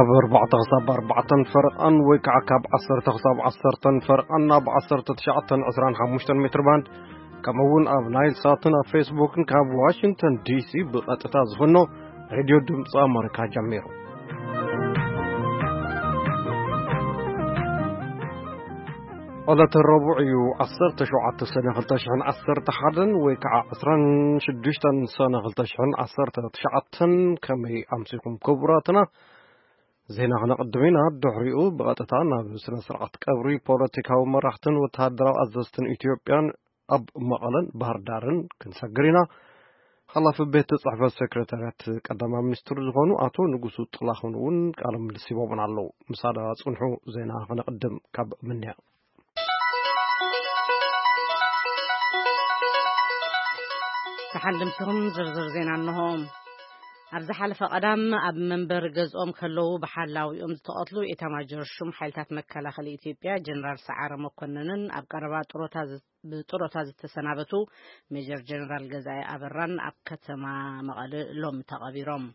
ካብ ኣርባዕተ ክሳብ ኣርባዕተን ፈረቓን ወይ ከዓ ካብ ዓሰርተ ክሳብ ዓሰርተን ፈረቓን ኣብ ዓሰርተ ትሽዓተን ዕስራን ሓሙሽተን ሜትር ባንድ፣ ከምኡ እውን ኣብ ናይል ሳትን ኣብ ፌስቡክን ካብ ዋሽንግተን ዲሲ ብቐጥታ ዝፍኖ ሬድዮ ድምፂ ኣመሪካ ጀሚሩ። ዕለተ ረቡዕ እዩ፣ ዓሰርተ ሸውዓተ ሰነ ክልተ ሽሕን ዓሰርተ ሓደን ወይ ከዓ ዕስራን ሽዱሽተን ሰነ ክልተ ሽሕን ዓሰርተ ትሽዓተን። ከመይ ኣምሲኹም ክቡራትና? ዜና ክነቕድም ኢና። ድሕሪኡ ብቐጥታ ናብ ስነ ስርዓት ቀብሪ ፖለቲካዊ መራሕትን ወተሃደራዊ ኣዘዝትን ኢትዮጵያን ኣብ መቐለን ባህር ዳርን ክንሰግር ኢና። ሓላፊ ቤት ጽሕፈት ሴክሬታርያት ቀዳማይ ሚኒስትር ዝኾኑ ኣቶ ንጉሱ ጥላሁን እውን ቃለ ምልልስ ሂቦምና ኣለዉ። ምሳና ጽንሑ፣ ዜና ክነቕድም ካብ ምንያ። ተሓልምትኹም ዝርዝር ዜና እንሆ። ኣብ ዝሓለፈ ቀዳም ኣብ መንበሪ ገዝኦም ከለዉ ብሓላዊኦም ዝተቐትሉ ኤታማጆር ሹም ሓይልታት መከላኸሊ ኢትዮጵያ ጀነራል ሰዓረ መኮንንን ኣብ ቀረባ ጥሮታ ዝ-፣ ብጥሮታ ዝተሰናበቱ ሜጀር ጀነራል ገዛኢ ኣበራን ኣብ ከተማ መቐለ ሎሚ ተቐቢሮም።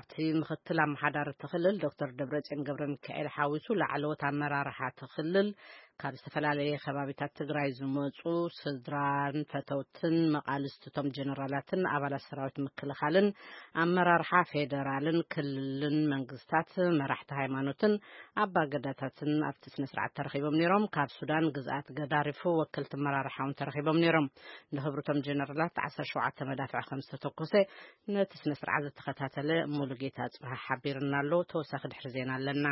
ኣብቲ ምክትል ኣመሓዳሪ እቲ ክልል ዶክተር ደብረጽዮን ገብረ ሚካኤል ሓዊሱ ላዕለዎት ኣመራርሓ እቲ ክልል ካብ ዝተፈላለየ ከባቢታት ትግራይ ዝመፁ ስድራን ፈተውትን መቓልስቲ እቶም ጀነራላትን ኣባላት ሰራዊት ምክልኻልን ኣመራርሓ ፌደራልን ክልልን መንግስታት፣ መራሕቲ ሃይማኖትን ኣባገዳታትን ኣብቲ ስነ ስርዓት ተረኺቦም ነይሮም። ካብ ሱዳን ግዝኣት ገዳሪፉ ወከልቲ ኣመራርሓ እውን ተረኺቦም ነይሮም። ንክብሪ እቶም ጀነራላት ዓሰርተ ሸውዓተ መዳፍዕ ከም ዝተተኮሰ ነቲ ስነ ስርዓት ዝተኸታተለ ሙሉጌታ ጽብሃ ሓቢርና ኣሎ። ተወሳኺ ድሕሪ ዜና ኣለና።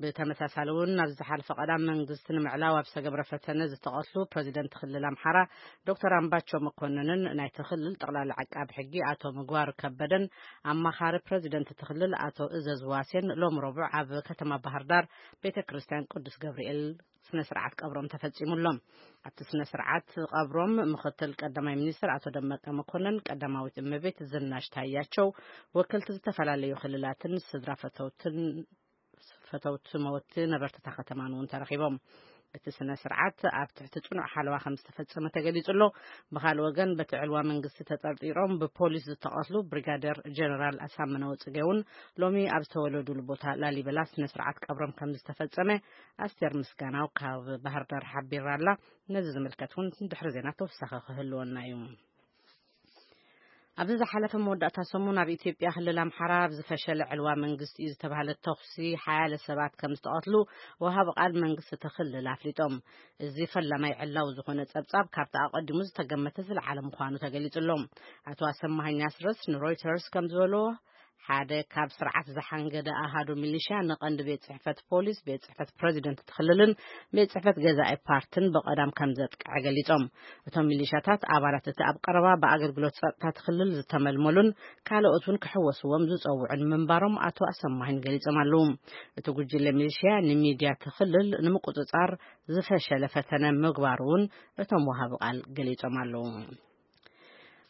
ብተመሳሳሊ እውን፣ ኣብ ዝሓለፈ ቀዳም መንግስቲ ንምዕላው ኣብ ዝተገብረ ፈተነ ዝተቐትሉ ፕረዚደንት ክልል ኣምሓራ ዶክተር ኣምባቸው መኮንንን ናይቲ ክልል ጠቕላላ ዓቃቢ ሕጊ ኣቶ ምግባር ከበደን ኣማኻሪ ፕረዚደንት እቲ ክልል ኣቶ እዘዝ ዋሴን ሎም ረቡዕ ኣብ ከተማ ባህር ዳር ቤተ ክርስቲያን ቅዱስ ገብርኤል ስነ ስርዓት ቀብሮም ተፈጺሙሎም። ኣብቲ ስነ ስርዓት ቀብሮም ምክትል ቀዳማይ ሚኒስትር ኣቶ ደመቀ መኮንን፣ ቀዳማዊት እመቤት ዝናሽ ታያቸው፣ ወከልቲ ዝተፈላለዩ ክልላትን ስድራ ፈተውትን ፈተውቲ መወቲ ነበርቲ እታ ከተማን እውን ተረኺቦም። እቲ ስነ ስርዓት ኣብ ትሕቲ ጽኑዕ ሓለዋ ከም ዝተፈጸመ ተገሊጹ ኣሎ። ብኻልእ ወገን፣ በቲ ዕልዋ መንግስቲ ተጠርጢሮም ብፖሊስ ዝተቐትሉ ብሪጋደር ጀነራል ኣሳምነው ጽጌ እውን ሎሚ ኣብ ዝተወለዱሉ ቦታ ላሊበላ ስነ ስርዓት ቀብሮም ከም ዝተፈጸመ ኣስቴር ምስጋናው ካብ ባህር ዳር ሓቢራ ኣላ። ነዚ ዝምልከት እውን ድሕሪ ዜና ተወሳኺ ክህልወና እዩ። ኣብዚ ዝሓለፈ መወዳእታ ሰሙን ኣብ ኢትዮጵያ ክልል ኣምሓራ ኣብ ዝፈሸለ ዕልዋ መንግስቲ እዩ ዝተባህለ ተኹሲ ሓያለ ሰባት ከም ዝተቐትሉ ወሃቢ ቃል መንግስቲ እቲ ክልል ኣፍሊጦም። እዚ ፈላማይ ዕላዊ ዝኾነ ጸብጻብ ካብቲ ኣቐዲሙ ዝተገመተ ዝለዓለ ምዃኑ ተገሊጹ ኣሎ። ኣቶ ኣሰማሃኝ ኣስረስ ንሮይተርስ ከም ዝበልዎ፣ ሓደ ካብ ስርዓት ዝሓንገደ ኣሃዱ ሚሊሽያ ንቐንዲ ቤት ጽሕፈት ፖሊስ፣ ቤት ጽሕፈት ፕረዚደንት እቲ ክልልን ቤት ጽሕፈት ገዛኢ ፓርትን ብቐዳም ከም ዘጥቅዐ ገሊጾም። እቶም ሚሊሻታት ኣባላት እቲ ኣብ ቀረባ ብኣገልግሎት ጸጥታ እቲ ክልል ዝተመልመሉን ካልኦት እውን ክሕወስዎም ዝጸውዑን ምንባሮም ኣቶ ኣሰማሂን ገሊጾም ኣለዉ። እቲ ጉጅለ ሚሊሽያ ንሚድያ እቲ ክልል ንምቁጽጻር ዝፈሸለ ፈተነ ምግባሩ እውን እቶም ወሃቢ ቃል ገሊጾም ኣለዉ።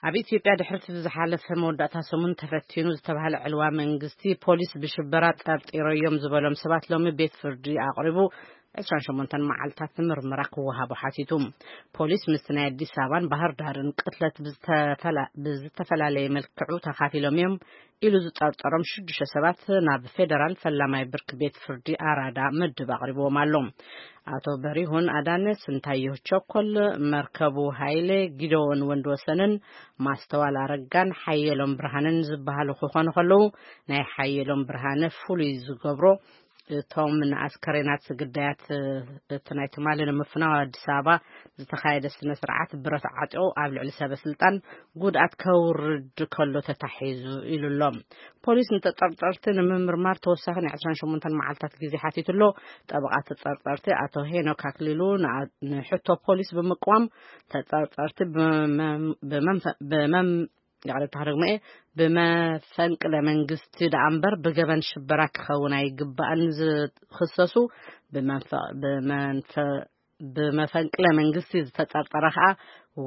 ኣብ ኢትዮጵያ ድሕሪ እቲ ዝሓለፈ መወዳእታ ሰሙን ተፈቲኑ ዝተባህለ ዕልዋ መንግስቲ፣ ፖሊስ ብሽበራ ጠርጢረዮም ዝበሎም ሰባት ሎሚ ቤት ፍርዲ ኣቕሪቡ ዕስራን ሸሞንተን መዓልታት ምርመራ ክወሃቦ ሓቲቱ። ፖሊስ ምስቲ ናይ ኣዲስ ኣበባን ባህር ዳርን ቅትለት ብዝተፈላ-፣ ብዝተፈላለየ መልክዑ ተኻፊሎም እዮም ኢሉ ዝጠርጠሮም ሽዱሽተ ሰባት ናብ ፌደራል ፈላማይ ብርኪ ቤት ፍርዲ ኣራዳ ምድብ ኣቕሪብዎም ኣሎ። ኣቶ በሪሁን ኣዳነ፣ ስንታየሁ ቸኮል፣ መርከቡ ሃይለ፣ ጊደዎን ወንድወሰንን ማስተዋል ኣረጋን ሓየሎም ብርሃንን ዝበሃሉ ክኾኑ ከለዉ፣ ናይ ሓየሎም ብርሃነ ፍሉይ ዝገብሮ፣ እቶም ንኣስከሬናት ግዳያት እቲ ናይ ትማሊ ንምፍናው ኣዲስ ኣበባ ዝተኻየደ ስነ ስርዓት ብረት ዓጢቑ ኣብ ልዕሊ ሰበ ስልጣን ጉድኣት ከውርድ ከሎ ተታሒዙ ኢሉ ኣሎ። ፖሊስ ንተጠርጠርቲ ንምምርማር ተወሳኺ ናይ ዕስራን ሸሞንተን መዓልታት ግዜ ሓቲቱ ኣሎ። ጠበቓ ተጠርጠርቲ ኣቶ ሄኖክ ኣክሊሉ ንኣ-፣ ንሕቶ ፖሊስ ብምቅዋም፣ ተጠርጠርቲ ብመም-፣ ብመንፈ-፣ ብመም-፣ ይቕሬታ ክደግሞ እየ፣ ብመፈንቅለ መንግስቲ ደኣ እምበር ብገበን ሽበራ ክኸውን ኣይግባእን ዝኽሰሱ፣ ብመንፈ-፣ ብመንፈ-፣ ብመፈንቅለ መንግስቲ ዝተጠርጠረ ከኣ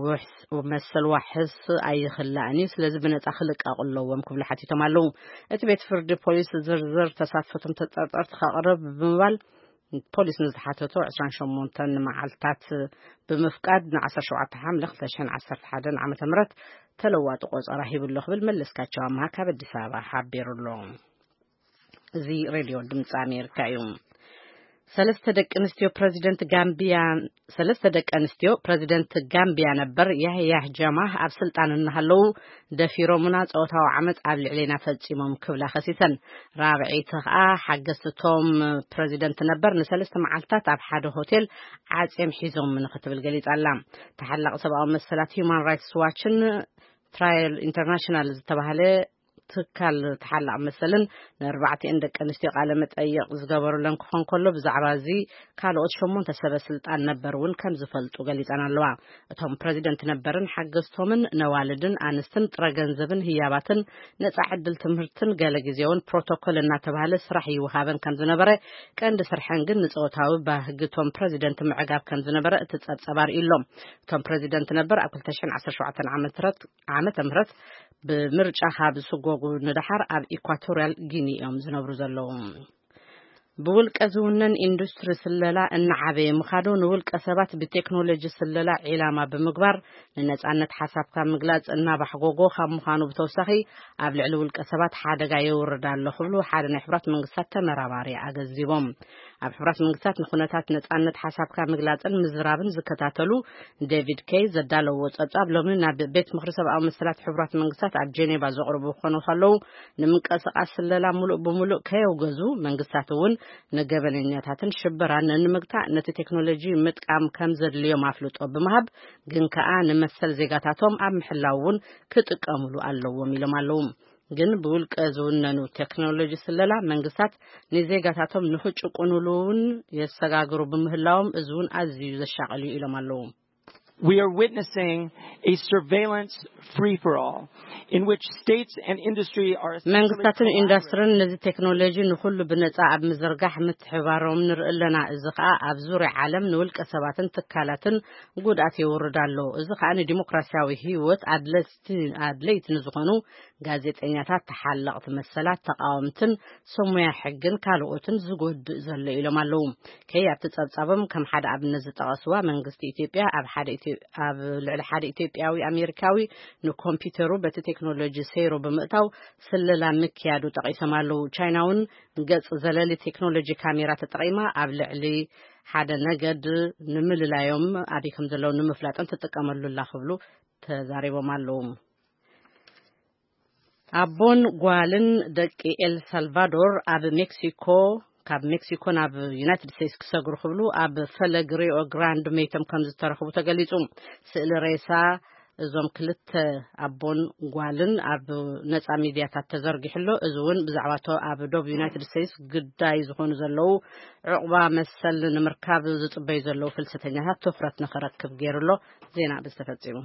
ውሕስ-፣ መሰል ዋሕስ ኣይኽላእን እዩ። ስለዚ ብነጻ ክልቀቑ ኣለዎም ክብሉ ሓቲቶም ኣለዉ። እቲ ቤት ፍርዲ ፖሊስ ዝርዝር ተሳትፎቶም ተጠርጠርቲ ከቕርብ ብምባል ፖሊስ ንዝሓተቶ ዕስራን ሸሞንተን መዓልታት ብምፍቃድ ንዓሰርተ ሸውዓተ ሓምለ ክልተ ሽሕን ዓሰርተ ሓደን ዓመተ ምህረት ተለዋጢ ቆጸራ ሂቡ ኣሎ ክብል መለስካቸው ኣምሃ ካብ ኣዲስ ኣበባ ሓቢሩ ኣሎ። እዚ ሬድዮ ድምፂ ኣሜሪካ እዩ። ሰለስተ ደቂ ኣንስትዮ ፕረዚደንት ጋምቢያ ሰለስተ ደቂ ኣንስትዮ ፕረዚደንት ጋምቢያ ነበር ያህያ ጃማህ ኣብ ስልጣን እናሃለዉ ደፊሮምና ጾታዊ ዓመፅ ኣብ ልዕሌና ፈጺሞም ክብላ ከሲሰን። ራብዐይቲ ከኣ ሓገዝቶም ፕረዚደንት ነበር ንሰለስተ መዓልታት ኣብ ሓደ ሆቴል ዓጽዮም ሒዞም ንክትብል ገሊጻ ኣላ። ተሓላቂ ሰብኣዊ መሰላት ሂዩማን ራይትስ ዋችን ትራየል ኢንተርናሽናል ዝተባህለ ትካል ተሓላቂ መሰልን ንኣርባዕቲኤን ደቂ ኣንስትዮ ቃለ መጠይቕ ዝገበሩለን ክኾን ከሎ ብዛዕባ እዚ ካልኦት ሸሞንተ ሰበ ስልጣን ነበር እውን ከም ዝፈልጡ ገሊጸን ኣለዋ። እቶም ፕረዚደንት ነበርን ሓገዝቶምን ነዋልድን ኣንስትን ጥረ ገንዘብን ህያባትን ነጻ ዕድል ትምህርትን ገለ ግዜ እውን ፕሮቶኮል እናተባህለ ስራሕ ይወሃበን ከም ዝነበረ ቀንዲ ስርሐን ግን ንጾታዊ ባህግቶም ፕረዚደንት ምዕጋብ ከም ዝነበረ እቲ ጸብጸብ ኣርእዩ ኣሎ። እቶም ፕረዚደንት ነበር ኣብ ክልተ ሽሕን ዓሰርተ ሸውዓተን ዓመተ ምህረት ዓመተ ምህረት ብምርጫ ካብ ዝስጎጉ ንደሓር ኣብ ኢኳቶርያል ጊኒ እዮም ዝነብሩ ዘለዉ። ብውልቀ ዝውነን ኢንዱስትሪ ስለላ እናዓበየ ምኻዱ ንውልቀ ሰባት ብቴክኖሎጂ ስለላ ዒላማ ብምግባር ንነጻነት ሓሳብካ ምግላጽ እናባሕጎጎ ካብ ምዃኑ ብተወሳኺ ኣብ ልዕሊ ውልቀ ሰባት ሓደጋ የውርድ ኣሎ ክብሉ ሓደ ናይ ሕብራት መንግስታት ተመራማሪ ኣገንዚቦም። ኣብ ሕብራት መንግስታት ንኩነታት ነጻነት ሓሳብካ ምግላጽን ምዝራብን ዝከታተሉ ዴቪድ ኬይ ዘዳለዎ ጸብጻብ ሎሚ ናብ ቤት ምኽሪ ሰብኣዊ መሰላት ሕቡራት መንግስታት ኣብ ጄኔቫ ዘቕርቡ ክኾኑ ከለዉ ንምንቅስቃስ ስለላ ሙሉእ ብምሉእ ከየውገዙ መንግስታት እውን ንገበነኛታትን ሽበራን ንምግታእ ነቲ ቴክኖሎጂ ምጥቃም ከም ዘድልዮም ኣፍልጦ ብምሃብ ግን ከኣ ንመሰል ዜጋታቶም ኣብ ምሕላው እውን ክጥቀሙሉ ኣለዎም ኢሎም ኣለዉ። ግን ብውልቀ ዝውነኑ ቴክኖሎጂ ስለላ መንግስታት ንዜጋታቶም ንክጭቁኑሉ እውን የሰጋግሩ ብምህላዎም እዚ እውን ኣዝዩ ዘሻቐል እዩ ኢሎም ኣለዉ። We are witnessing a surveillance free for all in which states and industry are መንግስታትን ኢንዱስትሪን ነዚ ቴክኖሎጂ ንኩሉ ብነጻ ኣብ ምዝርጋሕ ምትሕባሮም ንርኢ ኣለና። እዚ ከኣ ኣብ ዙርያ ዓለም ንውልቀ ሰባትን ትካላትን ጉድኣት የውርድ ኣሎ። እዚ ከኣ ንዲሞክራሲያዊ ህይወት ኣድለይቲ ንዝኾኑ ጋዜጠኛታት፣ ተሓለቕቲ መሰላት፣ ተቓወምትን ሰሙያ ሕግን ካልኦትን ዝጎድእ ዘሎ ኢሎም ኣለዉ። ከይ ኣብቲ ጸብጻቦም ከም ሓደ ኣብነት ዝጠቐስዋ መንግስቲ ኢትዮጵያ ኣብ ሓደ ኢትዮ- ኣብ ልዕሊ ሓደ ኢትዮጵያዊ ኣሜሪካዊ ንኮምፒውተሩ በቲ ቴክኖሎጂ ሰይሩ ብምእታው ስለላ ምክያዱ ጠቒሶም ኣለዉ። ቻይና እውን ገጽ ዘለሊ ቴክኖሎጂ ካሜራ ተጠቒማ ኣብ ልዕሊ ሓደ ነገድ ንምልላዮም ኣበይ ከም ዘለዉ ንምፍላጥን ትጥቀመሉ ኣላ ክብሉ ተዛሪቦም ኣለዉ። ኣቦን ጓልን ደቂ ኤል ሳልቫዶር ኣብ ሜክሲኮ ካብ ሜክሲኮ ናብ ዩናይትድ ስቴትስ ክሰግሩ ክብሉ ኣብ ፈለግ ሪዮ ግራንድ መይቶም ከም ዝተረኽቡ ተገሊጹ። ስእሊ ሬሳ እዞም ክልተ ኣቦን ጓልን ኣብ ነጻ ሚድያታት ተዘርጊሑ ኣሎ። እዚ እውን ብዛዕባቶ ኣብ ዶብ ዩናይትድ ስቴትስ ግዳይ ዝኾኑ ዘለዉ ዕቑባ መሰል ንምርካብ ዝጽበዩ ዘለዉ ፍልሰተኛታት ትኹረት ንኽረክብ ገይሩ ኣሎ። ዜና ብዝተፈጺሙ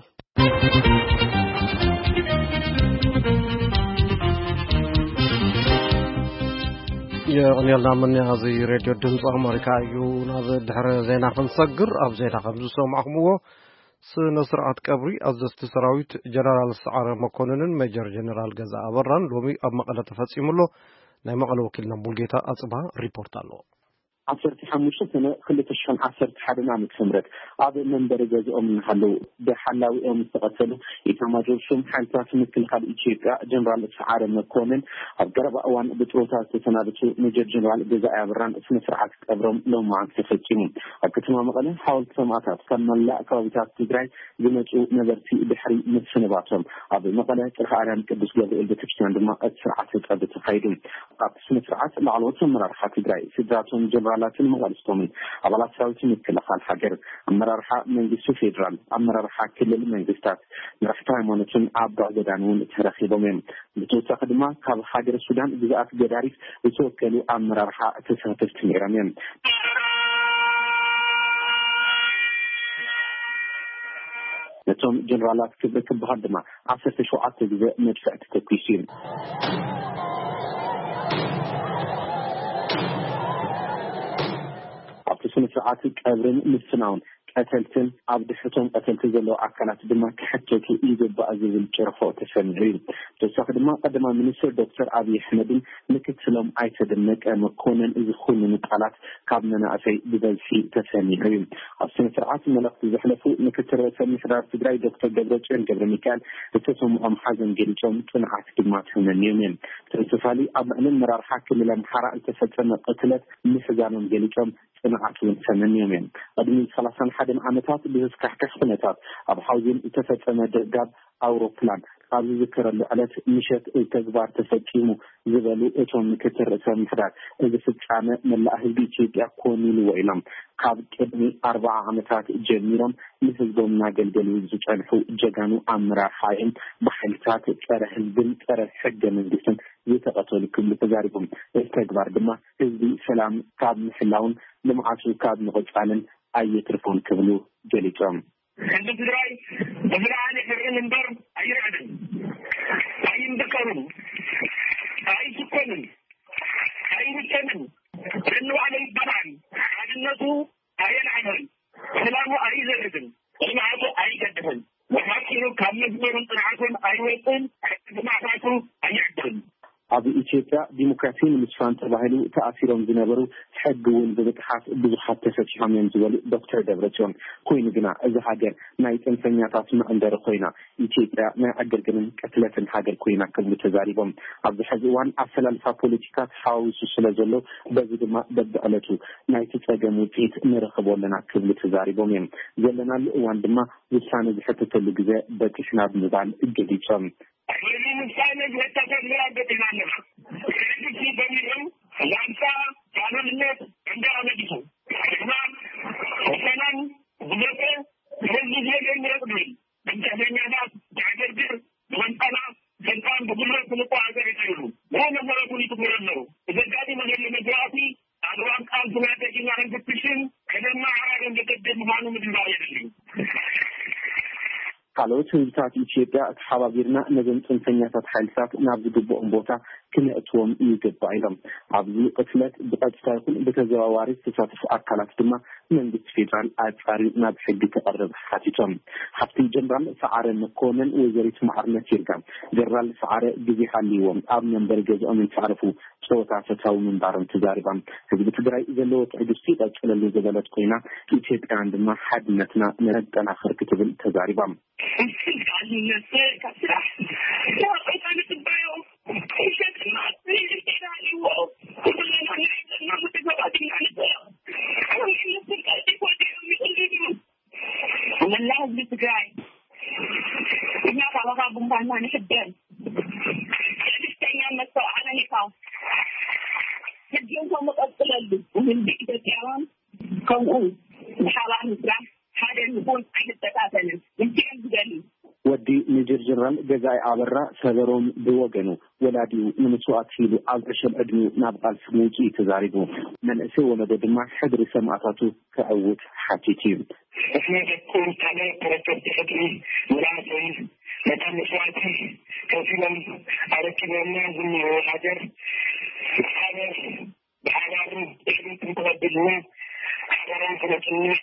የቕንየልና ምንያ። እዚ ሬድዮ ድምፂ ኣሜሪካ እዩ። ናብ ድሕረ ዜና ክንሰግር፣ ኣብ ዜና ከም ዝሰማዕኹምዎ ስነ ስርዓት ቀብሪ ኣዘዝቲ ሰራዊት ጀነራል ሰዓረ መኮንንን ሜጀር ጀነራል ገዛ ኣበራን ሎሚ ኣብ መቐለ ተፈፂሙ ኣሎ። ናይ መቐለ ወኪልና ሙልጌታ ኣፅባ ሪፖርት ኣለዎ። ዓሰርተ ሓሙሽተ ሰነ ክልተ ሽሕን ዓሰርተ ሓደን ዓመተ ምህረት ኣብ መንበሪ ገዝኦም እናሃለዉ ብሓላዊኦም ዝተቐተሉ ኢታማጆር ሹም ሓይልታት ምክልኻል ኢትዮጵያ ጀነራል ሰዓረ መኮንን ኣብ ቀረባ እዋን ብጥሮታ ዝተሰናበቱ ሜጀር ጀነራል ገዛኢ ኣበራን ስነ ስርዓት ቀብሮም ሎማዓንቲ ተፈፂሙ። ኣብ ከተማ መቐለ ሓወልቲ ሰማእታት ካብ መላእ ከባቢታት ትግራይ ዝመፁ ነበርቲ ድሕሪ ምስንባቶም ኣብ መቐለ ጥርሓ ኣርያም ቅዱስ ገብርኤል ቤተክርስትያን ድማ እቲ ስርዓተ ቀብሪ ተኻይዱ። ኣብቲ ስነ ስርዓት ላዕለዎት ኣመራርሓ ትግራይ፣ ስድራቶም፣ ጀነራላትን መቓልስቶምን፣ ኣባላት ሰራዊት ምክልኻል ሃገር፣ ኣመራርሓ መንግስቲ ፌዴራል፣ ኣመራርሓ ክልል መንግስታት፣ መራሕቲ ሃይማኖትን ዓባይ ገዳን እውን ተረኺቦም እዮም። ብተወሳኺ ድማ ካብ ሃገረ ሱዳን ግዝኣት ገዳሪፍ ዝተወከሉ ኣመራርሓ ተሳተፍቲ ነይሮም እዮም። ነቶም ጀነራላት ክብሪ ክበሃል ድማ ዓሰርተ ሸውዓተ ግዜ መድፍዕ ተተኲሱ እዩ። ኣብቲ ስነ ስርዓት ቀብርን ምፍናውን ቀተልትን ኣብ ድሕቶም ቀተልቲ ዘለዉ ኣካላት ድማ ክሕተቱ ይግባእ ዝብል ጭርሖ ተሰሚዑ እዩ። ብተወሳኺ ድማ ቀዳማይ ሚኒስትር ዶክተር ኣብይ ኣሕመድን ምክትሎም ኣይተ ደመቀ መኮንን ዝኹንኑ ቃላት ካብ መናእሰይ ብበዝሒ ተሰሚዑ እዩ። ኣብ ስነ ስርዓት መልእኽቲ ዘሕለፉ ምክትል ርእሰ ምምሕዳር ትግራይ ዶክተር ደብረጽዮን ገብረ ሚካኤል ዝተሰምዖም ሓዘን ገሊጾም፣ ጽንዓት ድማ ተመንዮም እዮም። ብተመሳሳሊ ኣብ ልዕሊ ኣመራርሓ ክልል ኣምሓራ ዝተፈጸመ ቅትለት ምሕዛኖም ገሊጾም፣ ጽንዓት እውን ተመንዮም እዮም። ቅድሚ ሰላሳን ሓደን ዓመታት ብዘስካሕክሕ ኩነታት ኣብ ሓውዜን ዝተፈጸመ ደብዳብ ኣውሮፕላን ኣብ ዝዝከረሉ ዕለት ምሸት ተግባር ተፈጺሙ ዝበሉ እቶም ምክትል ርእሰ ምምሕዳር፣ እዚ ፍጻመ መላእ ህዝቢ ኢትዮጵያ ኮን ኢልዎ ኢሎም። ካብ ቅድሚ ኣርባዓ ዓመታት ጀሚሮም ንህዝቦም እናገልገሉ ዝጸንሑ ጀጋኑ ኣመራርሓ እዮም ብሓይልታት ጸረ ህዝብን ጸረ ሕገ መንግስትን ዝተቐተሉ ክብሉ ተዛሪቦም። እዚ ተግባር ድማ ህዝቢ ሰላም ካብ ምሕላውን ልምዓቱ ካብ ምቕጻልን ኣየትርፎን ክብሉ ገሊጾም። ህዝቢ ትግራይ ብዝለዓለ ሕርም እምበር ኣይርዕድን፣ ኣይንድቀርን፣ ኣይስኮንን፣ ኣይንከንን። ንባዕሉ ይባላል። ሓድነቱ ኣየልዓለን፣ ሰላሙ ኣይዘርግን፣ ጽንዓቱ ኣይገድፍን። ብሓጺሩ ካብ መስመሩን ጽንዓቱን ኣይወጽን፣ ሕግማታቱ ኣይዕድርን። ኣብ ኢትዮጵያ ዲሞክራሲ ንምስፋን ተባሂሉ ተኣሲሮም ዝነበሩ ሕጊ እውን ብምጥሓስ ብዙሓት ተፈቲሖም እዮም ዝበሉ ዶክተር ደብረጽዮን፣ ኮይኑ ግና እዚ ሃገር ናይ ጽንፈኛታት መዕንደሪ ኮይና፣ ኢትዮጵያ ናይ ዕግርግርን ቅትለትን ሃገር ኮይና ክብሉ ተዛሪቦም። ኣብዚ ሕዚ እዋን ኣሰላልፋ ፖለቲካ ተሓዋዊሱ ስለ ዘሎ፣ በዚ ድማ በብዕለቱ ናይቲ ጸገም ውጽኢት ንረኽቦ ኣለና ክብሉ ተዛሪቦም እዮም። ዘለናሉ እዋን ድማ ውሳነ ዝሕተተሉ ግዜ በጺሕና ብምባል ገሊጾም። ሕዚ ውሳነ ዝሕተተሉ እዋን በጺሕና ኣለና። ሕዚ ጀሚሩ ላንሳ ፋሉልነት እንዳመልሱ ሕድማ ሰላም ብዘተ ህዝቢ ዝደልዮ ምረጥ ዝብል ብትዕዘኛታት ዘዕገርግር ብመንጠላ ስልጣን ብጉልበት ክንቋዓዘ ይኽእሉ። ብኡ መሰረቱ ይትግበሩ ኣለዉ። ብዘጋጠመ ዘሎ መግዛእቲ ኣግባብ ቃልስና ደጊና ክንፍትሽን ከነመዓራርን ዘገድድ ምዃኑ ምድንጋር የድሊ። ካልኦት ህዝብታት ኢትዮጵያ ተሓባቢርና ነዞም ጽንፈኛታት ሓይልታት ናብ ዝግብኦም ቦታ ክነእትዎም ይግባእ ኢሎም። ኣብዚ ቅትለት ብቐጥታ ይኹን ብተዘዋዋሪ ዝተሳተፉ ኣካላት ድማ መንግስቲ ፌዴራል ኣጻርዩ ናብ ሕጊ ክቐርብ ሓቲቶም። ሓፍቲ ጀነራል ሰዓረ መኮነን ወይዘሪት መዓርነት ይርጋ፣ ጀነራል ሰዓረ ግዜ ሃልይዎም ኣብ መንበሪ ገዝኦምን ሳዕርፉ ጸወታ ፈታዊ ምንባሮም ተዛሪባ። ህዝቢ ትግራይ ዘለዎ ትዕግስቲ ይቐጽለሉ ዝበለት ኮይና፣ ኢትዮጵያውያን ድማ ሓድነትና ነጠናኽር ክትብል ተዛሪባ። መላ ህዝቢ ትግራይ፣ እኛ ካባኻ ጉንባና ንሕበን። ትዕግስተኛ መስተውዓሊ ኔካ። ሕጂ እንኮ መቐጽለሉ። ህዝቢ ኢትዮጵያውያን ከምኡ ብሓባር ምስራሕ ሓደ ንኹን ኣይንበታተንን። ምስኦም ዝደሊ። ወዲ ሜጀር ጀነራል ገዛኢ ኣበራ ሰበሮም ብወገኑ፣ ወላዲኡ ንመስዋእቲ ኢሉ ኣብ ዕሸል ዕድሚኡ ናብ ቃልሲ ምውፅኡ ተዛሪቡ። መንእሰይ ወለዶ ድማ ሕድሪ ሰማእታቱ ከዕውት ሓቲቱ እዩ። ንሕና ደቁ ካልኦት ተረከብቲ ሕድሪ መናእሰይ ነታ መስዋእቲ ከፊሎም ኣረኪቦምና ዝኒሀው ሃገር ብሓባር ብሓባርን ብዕብትን ክቐብልና ሓበሮም ክነጽንዕ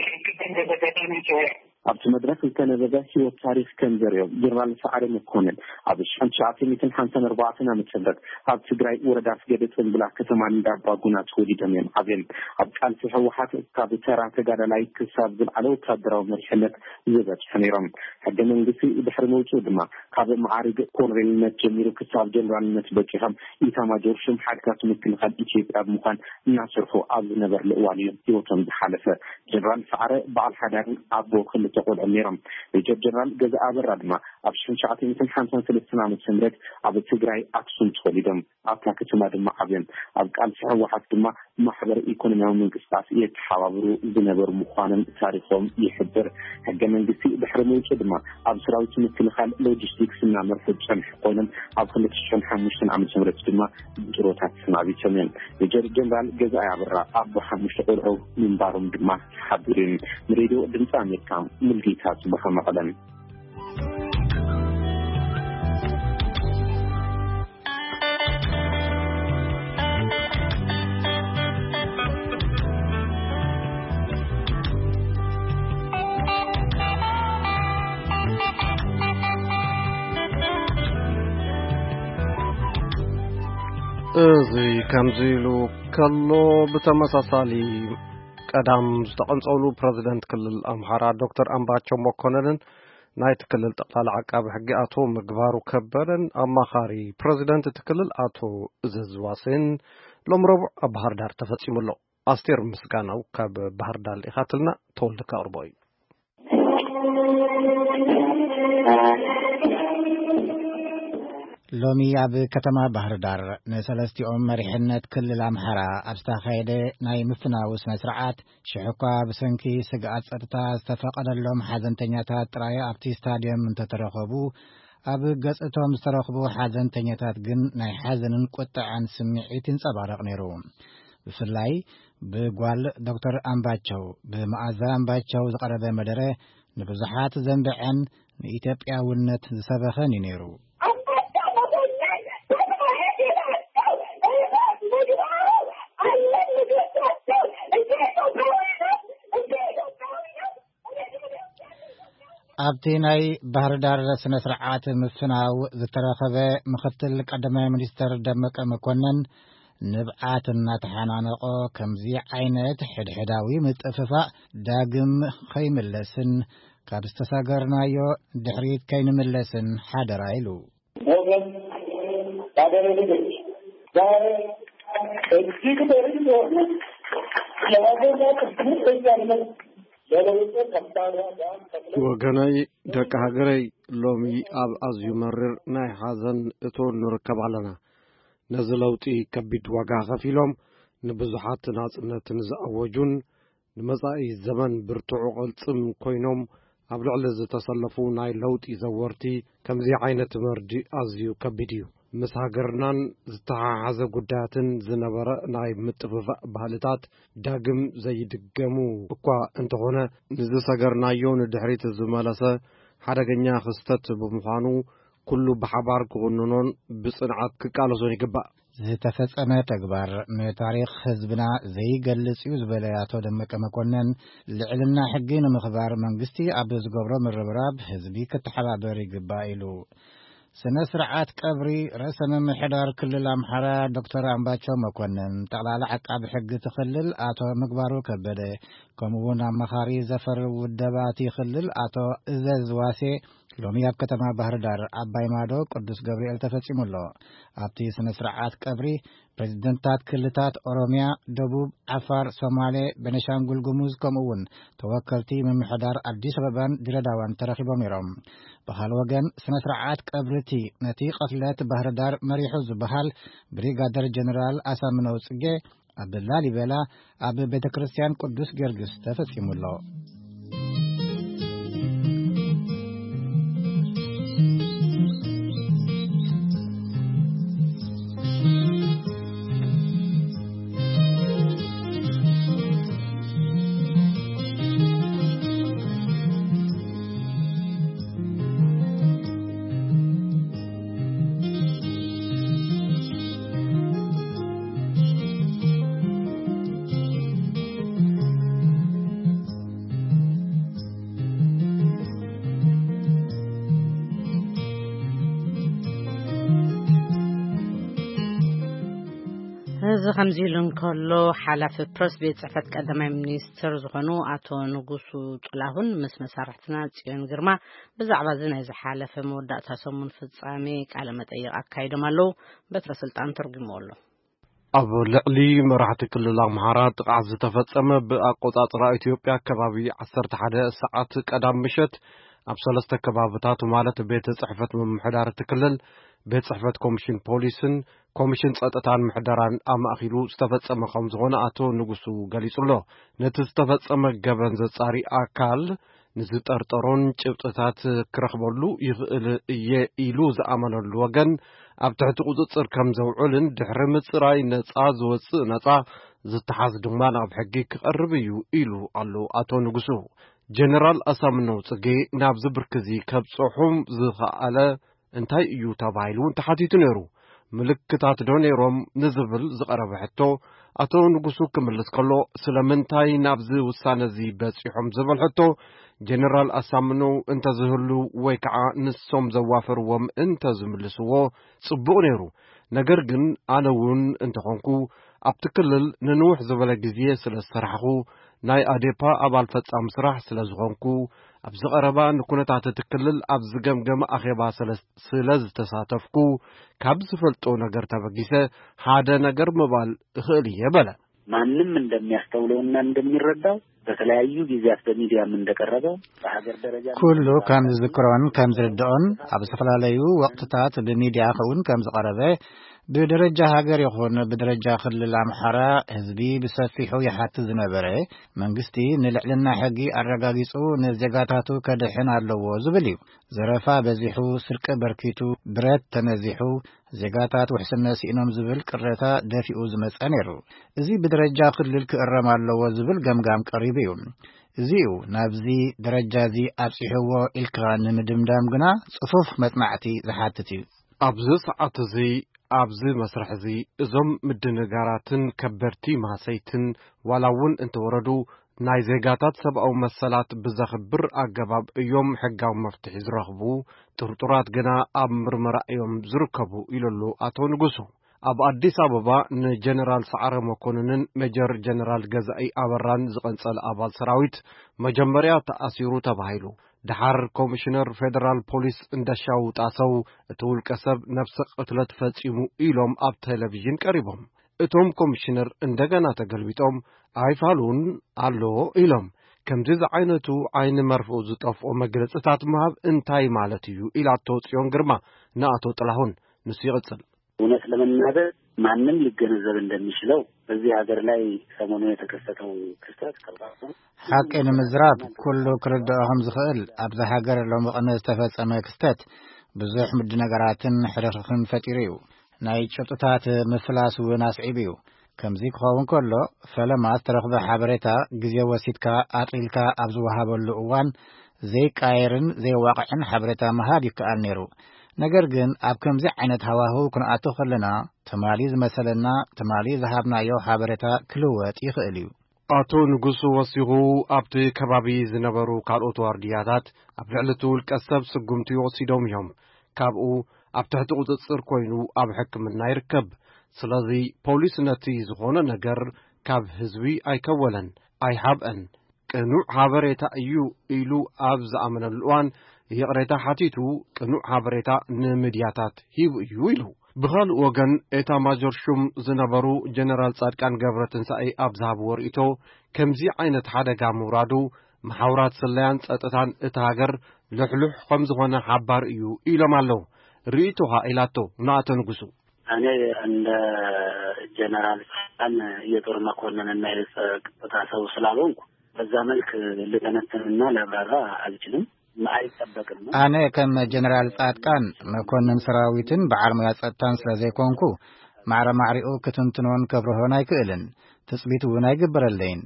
ዝግበር በዚ ኣጋጣሚ ይጽውዕ። ኣብቲ መድረኽ ዝተነበበ ህይወት ታሪኽ ከም ዘርእዮ፣ ጀነራል ሰዓረ መኮንን ኣብ ሺሕ ትሽዓተ ሚእትን ሓምሳን ኣርባዕተን ዓመተ ምህረት ኣብ ትግራይ ወረዳ ኣስገደ ጽምብላ ከተማ እንዳባጉና ተወሊዶም እዮም ዓብዮም። ኣብ ቃልሲ ህወሓት ካብ ተራ ተጋዳላይ ክሳብ ዝለዓለ ወታደራዊ መሪሕነት ዝበጽሑ ነይሮም። ሕገ መንግስቲ ድሕሪ ምውጽኡ ድማ ካብ መዓርግ ኮሎኔልነት ጀሚሩ ክሳብ ጀነራልነት በጺሖም፣ ኢታማጆር ሹም ሓይልታት ምክልኻል ኢትዮጵያ ብምዃን እናሰርሑ ኣብ ዝነበርሉ እዋን እዩ ህይወቶም ዝሓለፈ። ጀነራል ሰዓረ በዓል ሓዳርን ኣቦ ክልተ ቆልዑን ነይሮም። ሜጀር ጀነራል ገዛኢ ኣበራ ድማ ኣብ ሺሕ ትሽዓተ ሚእትን ሓምሳን ሰለስተን ዓመተ ምህረት ኣብ ትግራይ ኣክሱም ተወሊዶም፣ ኣብታ ከተማ ድማ ዓብዮም። ኣብ ቃልሲ ህወሓት ድማ ማሕበረ ኢኮኖሚያዊ ምንቅስቃስ የተሓባብሩ ዝነበሩ ምዃኖም ታሪኾም ይሕብር። ሕገ መንግስቲ ድሕሪ ምውፅኡ ድማ ኣብ ሰራዊት ምክልኻል ሎጂስቲክስ እናመርሑ ዝፀንሑ ኮይኖም፣ ኣብ ክልተ ሽሕን ሓሙሽተን ዓመተ ምህረት ድማ ብጥሮታ ተሰናቢቶም እዮም። ሜጀር ጀነራል ገዛኢ ኣበራ ኣቦ ሓሙሽተ ቆልዑ ምንባሮም ድማ ተሓቢሩ እዩ። ንሬድዮ ድምፂ ኣሜሪካ፣ ሙልጌታ ጽባህ፣ መቐለን። እዚ ከምዚ ኢሉ ከሎ፣ ብተመሳሳሊ ቀዳም ዝተቐንጸሉ ፕረዚደንት ክልል ኣምሓራ ዶክተር ኣምባቸው መኮነንን ናይቲ ክልል ጠቕላሊ ዓቃቢ ሕጊ ኣቶ ምግባሩ ከበደን ኣማኻሪ ፕረዚደንት እቲ ክልል ኣቶ እዘዝዋሴን ሎም ረቡዕ ኣብ ባህር ዳር ተፈጺሙ ኣሎ። ኣስቴር ምስጋናው ካብ ባህር ዳር ልኢኻትልና፣ ተወልደ ከቕርቦ እዩ። ሎሚ ኣብ ከተማ ባህር ዳር ንሰለስቲኦም መሪሕነት ክልል ኣምሓራ ኣብ ዝተኻየደ ናይ ምፍናው ስነ ስርዓት፣ ሽሕ እኳ ብሰንኪ ስግኣት ጸጥታ ዝተፈቐደሎም ሓዘንተኛታት ጥራይ ኣብቲ ስታድዮም እንተተረኸቡ፣ ኣብ ገጽ እቶም ዝተረኽቡ ሓዘንተኛታት ግን ናይ ሓዘንን ቁጥዐን ስምዒት ይንጸባረቕ ነይሩ። ብፍላይ ብጓል ዶክተር ኣምባቸው፣ ብመኣዛ ኣምባቸው ዝቐረበ መደረ ንብዙሓት ዘንብዐን ንኢትዮጵያውነት ዝሰበኸን እዩ ነይሩ። ኣብቲ ናይ ባህር ዳር ስነ ስርዓት ምፍናው ዝተረኸበ ምኽትል ቀዳማይ ሚኒስትር ደመቀ መኮንን፣ ንብዓት እናተሓናነቆ፣ ከምዚ ዓይነት ሕድሕዳዊ ምጥፍፋእ ዳግም ከይምለስን ካብ ዝተሰገርናዮ ድሕሪት ከይንምለስን ሓደራ ኢሉ። ወገን፣ ባደረ ልጆች፣ ዛሬ እጅግ በርድ የሆነ የሀገር ላይ ቅዱስ በዚያነት ለለውጡ ከባድ ዋጋ ከፍለው ወገነይ፣ ደቂ ሃገረይ፣ ሎሚ ኣብ ኣዝዩ መሪር ናይ ሓዘን እቶን ንርከብ ኣለና። ነዚ ለውጢ ከቢድ ዋጋ ከፊሎም ንብዙሓት ናጽነት ንዝኣወጁን ንመጻኢ ዘመን ብርቱዕ ቅልጽም ኮይኖም ኣብ ልዕሊ ዝተሰለፉ ናይ ለውጢ ዘወርቲ፣ ከምዚ ዓይነት መርድእ ኣዝዩ ከቢድ እዩ። ምስ ሃገርናን ዝተሓሓዘ ጉዳያትን ዝነበረ ናይ ምጥፍፋእ ባህልታት ዳግም ዘይድገሙ እኳ እንተኾነ፣ ንዝሰገርናዮ ንድሕሪት ዝመለሰ ሓደገኛ ክስተት ብምዃኑ፣ ኩሉ ብሓባር ክኹንኖን ብጽንዓት ክቃለሶን ይግባእ። ዝተፈጸመ ተግባር ንታሪኽ ህዝብና ዘይገልጽ እዩ ዝበለ ኣቶ ደመቀ መኮንን፣ ልዕልና ሕጊ ንምኽባር መንግስቲ ኣብ ዝገብሮ ምርብራብ ህዝቢ ክተሓባበር ይግባእ ኢሉ። ስነ ስርዓት ቀብሪ ርእሰ ምምሕዳር ክልል ኣምሓራ ዶክተር ኣምባቸው መኮንን፣ ጠቕላላ ዓቃቢ ሕጊ እቲ ክልል ኣቶ ምግባሩ ከበደ፣ ከምኡ እውን ኣማኻሪ ዘፈር ውደባ እቲ ክልል ኣቶ እዘዝ ዋሴ ሎሚ ኣብ ከተማ ባህር ዳር ዓባይ ማዶ ቅዱስ ገብርኤል ተፈጺሙ ኣሎ። ኣብቲ ስነ ስርዓት ቀብሪ ፕሬዚደንታት ክልታት ኦሮሚያ፣ ደቡብ፣ ዓፋር፣ ሶማሌ፣ ቤኒሻንጉል ጉሙዝ፣ ከምኡ እውን ተወከልቲ ምምሕዳር ኣዲስ ኣበባን ድሬዳዋን ተረኺቦም ነይሮም። ብኻል ወገን ስነ ስርዓት ቀብሪ እቲ ነቲ ቅትለት ባህር ዳር መሪሑ ዝበሃል ብሪጋደር ጀነራል ኣሳምነው ጽጌ ኣብ ላሊበላ ኣብ ቤተ ክርስቲያን ቅዱስ ጊዮርጊስ ተፈጺሙ ኣሎ። እዚ ከምዚ ኢሉ እንከሎ፣ ሓላፊ ፕረስ ቤት ጽሕፈት ቀዳማይ ሚኒስትር ዝኾኑ ኣቶ ንጉሱ ጥላሁን ምስ መሳርሕትና ጽዮን ግርማ ብዛዕባ እዚ ናይ ዝሓለፈ መወዳእታ ሰሙን ፍጻሜ ቃለ መጠይቕ ኣካይዶም ኣለዉ። በትረ ስልጣን ተርጉምዎ ኣሎ። ኣብ ልዕሊ መራሕቲ ክልል ኣምሓራ ጥቕዓት ዝተፈጸመ፣ ብኣቆጻጽራ ኢትዮጵያ ከባቢ ዓሰርተ ሓደ ሰዓት ቀዳም ምሸት ኣብ ሰለስተ ከባብታት፣ ማለት ቤት ጽሕፈት ምምሕዳር እቲ ክልል፣ ቤት ጽሕፈት ኮሚሽን ፖሊስን ኮሚሽን ጸጥታን ምሕደራን ኣማእኪሉ ዝተፈጸመ ከም ዝኾነ ኣቶ ንጉሱ ገሊጹ ኣሎ። ነቲ ዝተፈጸመ ገበን ዘጻሪ ኣካል ንዝጠርጠሮን ጭብጥታት ክረኽበሉ ይኽእል እየ ኢሉ ዝኣመነሉ ወገን ኣብ ትሕቲ ቁጽጽር ከም ዘውዕልን ድሕሪ ምጽራይ ነጻ ዝወጽእ ነጻ፣ ዝተሓዝ ድማ ናብ ሕጊ ክቐርብ እዩ ኢሉ ኣሎ ኣቶ ንጉሱ። ጀነራል ኣሳምነው ጽጌ ናብዚ ብርኪ እዚ ከብጽሑም ዝኸኣለ እንታይ እዩ ተባሂሉ እውን ተሓቲቱ ነይሩ። ምልክታት ዶ ነይሮም ንዝብል ዝቐረበ ሕቶ፣ ኣቶ ንጉሱ ክምልስ ከሎ፣ ስለምንታይ ናብዚ ውሳነ እዚ በጺሖም ዝብል ሕቶ፣ ጀነራል ኣሳምነው እንተዝህሉ ወይ ከዓ ንሶም ዘዋፈርዎም እንተዝምልስዎ ጽቡቕ ነይሩ። ነገር ግን ኣነ እውን እንተኾንኩ ኣብቲ ክልል ንንውሕ ዝበለ ግዜ ስለ ዝሰራሕኹ፣ ናይ ኣዴፓ ኣባል ፈጻሚ ስራሕ ስለ ዝኾንኩ፣ ኣብዚ ቀረባ ንኩነታት እቲ ክልል ኣብ ዝገምገመ ኣኼባ ስለ፣ ስለ ዝተሳተፍኩ፣ ካብ ዝፈልጦ ነገር ተበጊሰ ሓደ ነገር ምባል እኽእል እየ በለ። ማንም እንደሚያስተውለውና እንደሚረዳው በተለያዩ ጊዜያት በሚዲያም እንደቀረበው በሀገር ደረጃ ኩሉ ከም ዝዝክሮን ከም ዝርድኦን ኣብ ዝተፈላለዩ ወቅትታት ብሚዲያ ክውን ከም ዝቀረበ፣ ብደረጃ ሃገር ይኹን ብደረጃ ክልል ኣምሓራ ህዝቢ ብሰፊሑ ይሓትት ዝነበረ፣ መንግስቲ ንልዕልና ሕጊ ኣረጋጊጹ ንዜጋታቱ ከድሕን ኣለዎ ዝብል እዩ። ዘረፋ በዚሑ፣ ስርቂ በርኪቱ፣ ብረት ተነዚሑ፣ ዜጋታት ውሕስነት ስኢኖም ዝብል ቅሬታ ደፊኡ ዝመጸ ነይሩ። እዚ ብደረጃ ክልል ክእረም ኣለዎ ዝብል ገምጋም ቀሪቡ እዩ። እዚ እዩ ናብዚ ደረጃ እዚ ኣብጺሕዎ ኢልካ ንምድምዳም ግና ጽፉፍ መጽናዕቲ ዝሓትት እዩ። ኣብዚ ሰዓት እዚ፣ ኣብዚ መስርሕ እዚ፣ እዞም ምድንጋራትን ከበድቲ ማሰይትን ዋላ እውን እንተወረዱ፣ ናይ ዜጋታት ሰብኣዊ መሰላት ብዘኽብር ኣገባብ እዮም ሕጋዊ መፍትሒ ዝረኽቡ፣ ጥርጡራት ግና ኣብ ምርመራ እዮም ዝርከቡ ኢሉ ኣሎ ኣቶ ንጉሱ። ኣብ ኣዲስ ኣበባ ንጀነራል ሰዓረ መኮንንን ሜጀር ጀነራል ገዛኢ ኣበራን ዝቐንጸለ ኣባል ሰራዊት መጀመርያ ተኣሲሩ ተባሂሉ። ደሓር ኮሚሽነር ፌደራል ፖሊስ እንደሻው ጣሰው እቲ ውልቀ ሰብ ነፍሰ ቅትለት ፈጺሙ ኢሎም ኣብ ቴሌቪዥን ቀሪቦም። እቶም ኮሚሽነር እንደገና ተገልቢጦም ኣይፋሉን ኣሎ ኢሎም። ከምዚ ዝዓይነቱ ዓይኒ መርፍኡ ዝጠፍኦ መግለጽታት ምሃብ እንታይ ማለት እዩ? ኢላቶ ጽዮን ግርማ ንኣቶ ጥላሁን። ንሱ ይቕጽል። እውነት ለመናገር ማንም ሊገነዘብ እንደሚችለው በዚህ ሀገር ላይ ሰሞኑን የተከሰተው ክስተት ከባድ ነው። ሓቂ ንምዝራብ ኩሉ ክርድኦ ከም ዝኽእል ኣብዚ ሃገር ሎሚ ቅነ ዝተፈጸመ ክስተት ብዙሕ ምድነገራትን ሕርኽርኽን ፈጢሩ እዩ። ናይ ጭብጥታት ምፍላስ እውን ኣስዒቡ እዩ። ከምዚ ክኸውን ከሎ፣ ፈለማ ዝተረኽበ ሓበሬታ ግዜ ወሲድካ ኣጥሊልካ ኣብ ዝወሃበሉ እዋን ዘይቃየርን ዘየዋቕዕን ሓበሬታ ምሃብ ይከኣል ነይሩ። ነገር ግን ኣብ ከምዚ ዓይነት ሃዋህው ክንኣቱ ከለና፣ ትማሊ ዝመሰለና፣ ትማሊ ዝሃብናዮ ሓበሬታ ክልወጥ ይኽእል እዩ። ኣቶ ንጉሱ ወሲኹ፣ ኣብቲ ከባቢ ዝነበሩ ካልኦት ዋርድያታት ኣብ ልዕሊ እቲ ውልቀ ሰብ ስጉምቲ ወሲዶም እዮም። ካብኡ ኣብ ትሕቲ ቁጽጽር ኮይኑ ኣብ ሕክምና ይርከብ። ስለዚ ፖሊስ ነቲ ዝኾነ ነገር ካብ ህዝቢ ኣይከወለን፣ ኣይሓብአን። ቅኑዕ ሓበሬታ እዩ ኢሉ ኣብ ዝኣመነሉ እዋን ይቕሬታ ሓቲቱ፣ ቅኑዕ ሓበሬታ ንምድያታት ሂቡ እዩ ኢሉ። ብኻልእ ወገን፣ ኤታ ማጆር ሹም ዝነበሩ ጀነራል ጻድቃን ገብረትንሳኤ ኣብ ዝሃብዎ ርእይቶ፣ ከምዚ ዓይነት ሓደጋ ምውራዱ፣ መሓውራት ስለያን ጸጥታን እታ ሃገር ልሕሉሕ ከም ዝኾነ ሓባር እዩ ኢሎም ኣለዉ። ርእይቶኻ ኢላቶ ንኣቶ ንጉሱ። እኔ እንደ ጀነራል ጻድቃን የጦር መኮንንና የጸጥታ ሰው ስላልሆንኩ በዛ መልክ ልተነትንና ላብራራ አልችልም፣ አይጠበቅም። ኣነ ከም ጀነራል ጻድቃን መኮንን ሰራዊትን በዓል ሞያ ጸጥታን ስለ ዘይኮንኩ፣ ማዕረ ማዕሪኡ ክትንትኖን ከብርሆን ኣይክእልን፣ ትጽቢት እውን ኣይግበረለይን።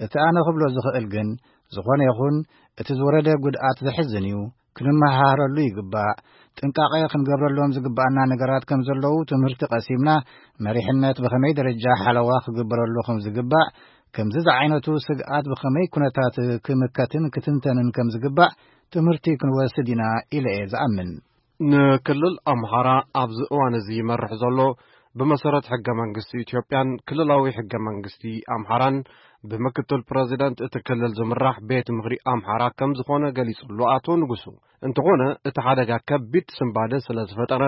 እቲ ኣነ ክብሎ ዝኽእል ግን፣ ዝኾነ ይኹን እቲ ዝወረደ ጉድኣት ዘሕዝን እዩ፣ ክንመሃሃረሉ ይግባእ። ጥንቃቐ ክንገብረሎም ዝግባኣና ነገራት ከም ዘለዉ ትምህርቲ ቀሲምና፣ መሪሕነት ብኸመይ ደረጃ ሓለዋ ክግበረሉ ከም ዝግባእ፣ ከምዚ ዝዓይነቱ ስግኣት ብኸመይ ኩነታት ክምከትን ክትንተንን ከም ዝግባእ ትምህርቲ ክንወስድ ኢና ኢለ እየ ዝኣምን። ንክልል ኣምሓራ ኣብዚ እዋን እዚ ይመርሕ ዘሎ ብመሰረት ሕገ መንግስቲ ኢትዮጵያን ክልላዊ ሕገ መንግስቲ ኣምሓራን ብምክትል ፕረዚደንት እቲ ክልል ዝምራሕ ቤት ምኽሪ ኣምሓራ ከም ዝኾነ ገሊጹ ኣሎ ኣቶ ንጉሱ። እንተኾነ እቲ ሓደጋ ከቢድ ስንባደ ስለ ዝፈጠረ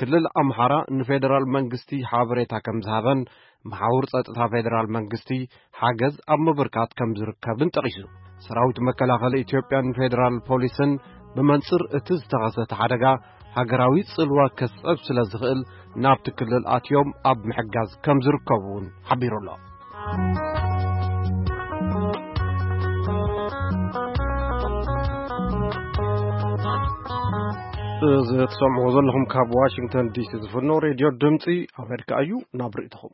ክልል ኣምሓራ ንፌደራል መንግስቲ ሓበሬታ ከም ዝሃበን መሓውር ጸጥታ ፌደራል መንግስቲ ሓገዝ ኣብ ምብርካት ከም ዝርከብን ጠቒሱ። ሰራዊት መከላኸሊ ኢትዮጵያን ፌደራል ፖሊስን ብመንጽር እቲ ዝተኸሰተ ሓደጋ ሃገራዊ ጽልዋ ከስዕብ ስለ ዝኽእል ናብቲ ክልል ኣትዮም ኣብ ምሕጋዝ ከም ዝርከቡ እውን ሓቢሩ ኣሎ። እዚ ትሰምዕዎ ዘለኹም ካብ ዋሽንግተን ዲሲ ዝፍኖ ሬድዮ ድምፂ ኣሜሪካ እዩ። ናብ ርእይቶኹም።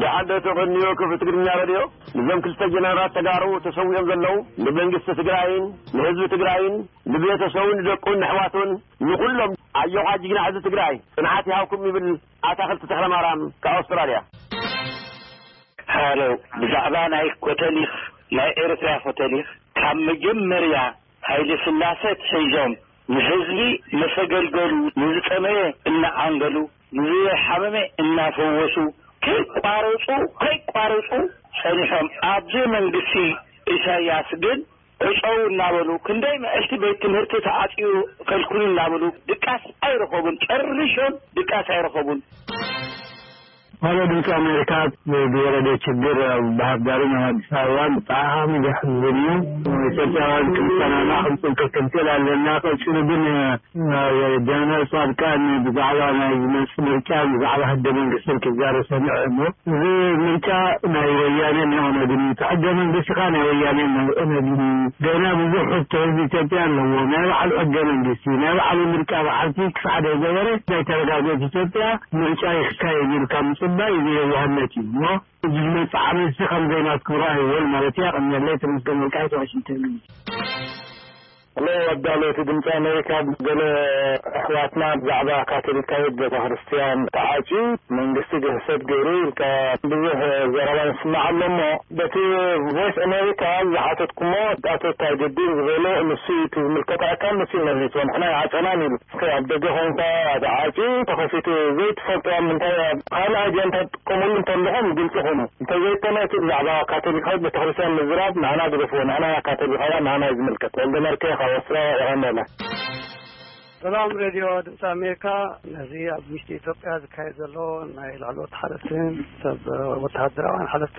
ደሓን ዶ ተቐንዮ ክፍት ትግርኛ ሬድዮ? ንዞም ክልተ ጀነራላት ተጋሩ ተሰዊኦም ዘለዉ ንመንግስቲ ትግራይን ንህዝቢ ትግራይን ንቤተሰቡን ንደቁን ንኣሕዋቱን ንኹሎም ኣዮኻ ጅግና ህዝቢ ትግራይ ጽንዓት ይሃብኩም ይብል ኣታኽልቲ ተኽለማርያም ካብ ኣውስትራልያ። ሃሎ፣ ብዛዕባ ናይ ኮተሊኽ፣ ናይ ኤርትራ ኮተሊኽ፣ ካብ መጀመርያ ሃይለ ስላሰ ኣትሒዞም ንህዝቢ መሰገልገሉ፣ ንዝጠመየ እናዓንገሉ፣ ንዝሓመመ እናፈወሱ ከይቋረፁ፣ ከይቋረፁ ጸኒሖም። ኣብዚ መንግስቲ ኢሳያስ ግን ዕጸው እናበሉ፣ ክንደይ ምዕልቲ ቤት ትምህርቲ ተዓጽዩ ከልክሉ እናበሉ ድቃስ ኣይረኸቡን፣ ጨሪሾም ድቃስ ኣይረኸቡን። ዋላ ድምፂ ኣሜሪካ ብወረደ ችግር ኣብ ባህር ዳርን ኣብ ኣዲስ ኣበባን ብጣዕሚ ዘሕዝን እዩ። ኢትዮጵያውያን ክንሰማማዕ ክንፅንቶ ክንክእል ኣለና። ቀፂሉ ግን ጀነራል ጻድቃን ብዛዕባ ናይ ዝመጽእ ምርጫ፣ ብዛዕባ ሕገ መንግስትን ክዛረብ ሰሚዐ እሞ፣ እዚ ምርጫ ናይ ወያኔን ናይ ኦነግን እዩ። እቲ ሕገ መንግስቲ ከኣ ናይ ወያኔን ናይ ኦነግን እዩ። ገና ብዙሕ ሕቶ ህዝቢ ኢትዮጵያ ኣለዎ። ናይ ባዕሉ ሕገ መንግስቲ፣ ናይ ባዕሉ ምርጫ በዓልቲ ክሳዕ ዘይገበረ፣ ናይ ተረጋገት ኢትዮጵያ ምርጫ ይካየድ ኢልካ ምጽባይ እዚ የዋህነት እዩ እሞ፣ እዚ ዝመጽእ ዓመት እዚ ከም ዘይናትኩም ርኣይዎን ማለት እያ። ቀንየለይ፣ ተመስገን ወልቃይት፣ ዋሽንግተን ዲሲ። ሎ ኣዳለውቲ ድምፂ ኣሜሪካ፣ ገለ ኣሕዋትና ብዛዕባ ካቶሊካዊት ቤተክርስትያን ተዓፅዩ መንግስቲ ግህሰት ገይሩ ኢልካ ብዙሕ ዘረባ ንስማዕ ኣሎ እሞ፣ በቲ ቮይስ ኣሜሪካ ዝሓተትኩሞ ኣቶ ታጅዲን ዝበሎ ንሱ እዩ እቲ ዝምልከት ኣካል ንሱ እዩ መሊስዎ። ንሕና ይዓፀናን ኢሉ። እስከ ኣብ ደገ ኮንካ ተዓፅዩ ተኸፊቱ ዘይትፈልጦ ኣብ ምንታይ ኣብ ካልእ ኣጀንዳ ትጥቀምሉ እንተለኹም ግልፂ ኩኑ። እንተዘይኮነ እቲ ብዛዕባ ካቶሊካዊት ቤተክርስትያን ምዝራብ ንዓና ግደፍዎ። ንዓና ካቶሊካውያን ንዓና እዩ ዝምልከት። ወልደ መርኬ ካብ ኣውስትራልያ የቐንየለ። ሰላም ሬድዮ ድምፂ ኣሜሪካ። ነዚ ኣብ ውሽጢ ኢትዮጵያ ዝካየድ ዘሎ ናይ ላዕለዎት ሓለፍትን ሰብ ወተሃደራውያን ሓለፍቲ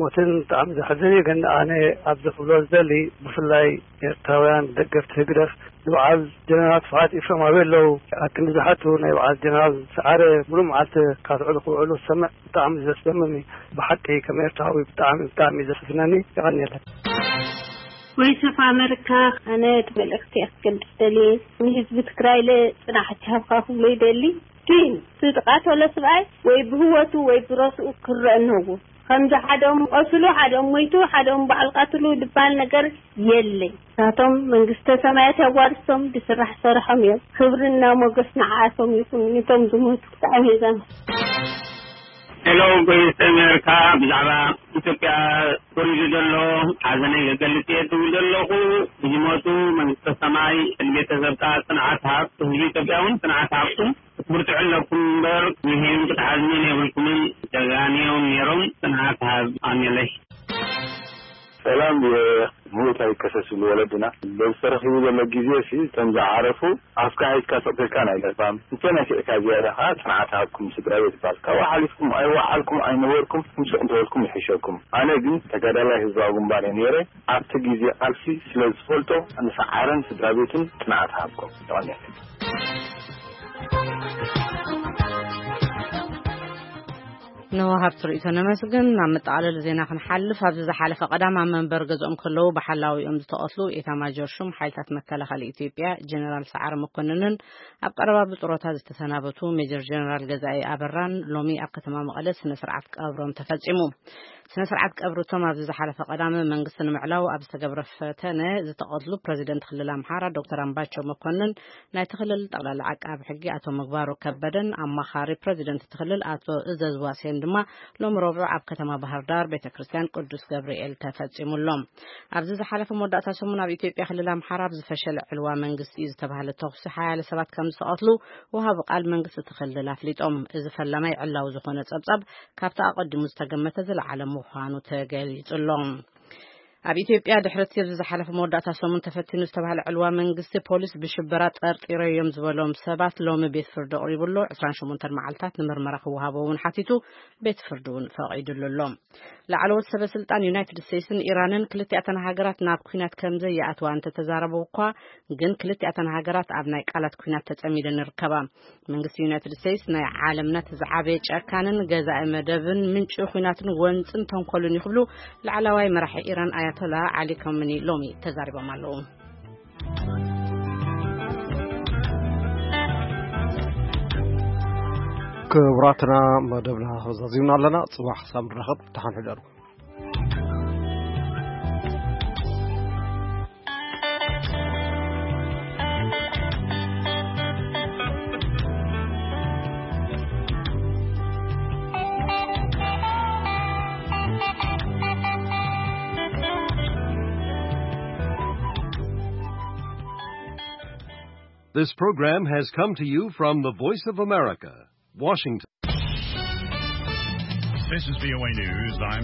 ሞትን ብጣዕሚ ዘሕዝን እዩ። ግን ኣነ ኣብዚ ክብሎ ዝደሊ ብፍላይ ኤርትራውያን ደገፍቲ ህግደፍ ንበዓል ጀነራል ስብሓት ኢፍረም ኣበይ ኣለዉ? ኣብ ክንዲ ዝሓቱ ናይ በዓል ጀነራል ሰዓረ ሙሉእ መዓልቲ ካትዕሉ ክውዕሉ ዝሰምዕ ብጣዕሚ ዘስደምም እዩ። ብሓቂ ከም ኤርትራዊ ብጣዕሚ ብጣዕሚ እዩ ዘሕዝነኒ። የቐንየለይ። ቮይስ ኦፍ ኣመሪካ፣ ኣነ እቲ መልእኽቲ ኣስገድድ ደልየ ንህዝቢ ትግራይ ለ ጽናሕ ይሃብካ ክብሎ ይደሊ። ግን እቲ ዝቃተሎ ስብኣይ ወይ ብህይወቱ ወይ ብረስኡ ክረአ እነዎ። ከምዚ ሓደኦም ቆስሉ፣ ሓደኦም ሞይቱ፣ ሓደኦም በዓል ቃትሉ ዝበሃል ነገር የለይ። ናቶም መንግስተ ሰማያት ያዋርሶም፣ ብስራሕ ሰረሖም እዮም። ክብርና ሞገስ ንዓኣቶም ይኹን፣ ንቶም ዝሞቱ። ብጣዕሚ እየ ዘመስግን። ሄሎ፣ ቮይስ ኣሜሪካ፣ ብዛዕባ ኢትዮጵያ ወሪዱ ዘሎ ሓዘነይ ክገልጽ እየ ትብል ዘለኹ። ብዝሞቱ መንግስተ ሰማይ፣ ንቤተሰብካ ጽንዓት ሃብ፣ ህዝቢ ኢትዮጵያ እውን ጽንዓት ሃብኩም። ክትብርትዑ ኣለኩም እምበር፣ ይሄን ክትሓዝኑን የብልኩምን። ጀጋኑ እዮም ነይሮም። ጽንዓት ሃብ። ኣሜለይ። ሰላም፣ ቪኦኤ። ምዉት ኣይከሰስ ይብሉ ወለድና። በዚ ተረኺቡ ዘሎ ግዜ ሲ፣ እቶም ዝዓረፉ ኣፍካ ሒዝካ ስቕ ኢልካ ናይ ለባም፣ እንተ ነፊዕካ ዝያዳ ኸዓ ጽንዓት ሃብኩም ስድራ ቤት ይባል። ካብኡ ሓሊፍኩም ኣይወዓልኩም ኣይነበርኩም፣ ምስ እንተበልኩም ይሕሸኩም። ኣነ ግን ተጋዳላይ ህዝባዊ ግንባር እየ ነይረ። ኣብቲ ግዜ ቃልሲ ስለ ዝፈልጦ፣ ንሰዓረን ስድራ ቤቱን ጽንዓት ሃብኩም። የቐንየለይ። ንወሃብቲ ርእይቶ ነመስግን። ናብ መጠቓለሊ ዜና ክንሓልፍ፣ ኣብዚ ዝሓለፈ ቀዳም ኣብ መንበሪ ገዝኦም ከለዉ ብሓላዊኦም ዝተቐትሉ ኤታማጆር ሹም ሓይልታት መከላኸሊ ኢትዮጵያ ጀነራል ሰዓረ መኮንንን ኣብ ቀረባ ብጡረታ ዝተሰናበቱ ሜጀር ጀነራል ገዛኢ ኣበራን ሎሚ ኣብ ከተማ መቐለ ስነ ስርዓት ቀብሮም ተፈጺሙ። ስነ ስርዓት ቀብሪ እቶም ኣብዚ ዝሓለፈ ቀዳም መንግስቲ ንምዕላው ኣብ ዝተገብረ ፈተነ ዝተቐትሉ ፕረዚደንት ክልል ኣምሓራ ዶክተር ኣምባቸው መኮንን፣ ናይቲ ክልል ጠቕላላ ዓቃቢ ሕጊ ኣቶ ምግባሩ ከበደን ኣማኻሪ ፕረዚደንት እቲ ክልል ኣቶ እዘዝ ዋሴን ድማ ሎሚ ረቡዕ ኣብ ከተማ ባህር ዳር ቤተ ክርስቲያን ቅዱስ ገብርኤል ተፈጺሙሎም። ኣብዚ ዝሓለፈ መወዳእታ ሰሙን ኣብ ኢትዮጵያ ክልል ኣምሓራ ኣብ ዝፈሸለ ዕልዋ መንግስቲ እዩ ዝተባህለ ተኹሲ ሓያለ ሰባት ከም ዝተቐትሉ ወሃቢ ቃል መንግስቲ እቲ ክልል ኣፍሊጦም። እዚ ፈላማይ ዕላዊ ዝኾነ ጸብጻብ ካብቲ ኣቐዲሙ ዝተገመተ ዝለዓለ ምዃኑ ተገሊጹ ኣሎ። ኣብ ኢትዮጵያ ድሕሪ እቲ ኣብዚ ዝሓለፈ መወዳእታ ሰሙን ተፈቲኑ ዝተባህለ ዕልዋ መንግስቲ፣ ፖሊስ ብሽበራ ጠርጢረዮም ዝበሎም ሰባት ሎሚ ቤት ፍርዲ ኣቕሪቡ ኣሎ። ዕስራን ሸሞንተን መዓልታት ንምርመራ ክወሃቦ እውን ሓቲቱ፣ ቤት ፍርዲ እውን ፈቒዱሉ ኣሎ። ላዕለዎት ሰበ ስልጣን ዩናይትድ ስቴትስን ኢራንን ክልቲኣተን ሃገራት ናብ ኲናት ከም ዘይኣትዋ እንተተዛረቡ እኳ፣ ግን ክልቲኣተን ሃገራት ኣብ ናይ ቃላት ኲናት ተጸሚደን ይርከባ። መንግስቲ ዩናይትድ ስቴትስ ናይ ዓለምና እቲ ዝዓበየ ጨካንን ገዛኢ መደብን ምንጪ ኲናትን ጎንጽን ተንኮልን እዩ ክብሉ ላዕለዋይ መራሒ ኢራን ኣያቶላ ዓሊ ካመኒ ሎሚ ተዛሪቦም ኣለዉ። ክቡራትና መደብና ዛዚምና ኣለና። ጽባሕ ክሳብ ንራኸብ ደሓን ሕደሩ። This program has come to you from the Voice of America, Washington. This is V O A News. I'm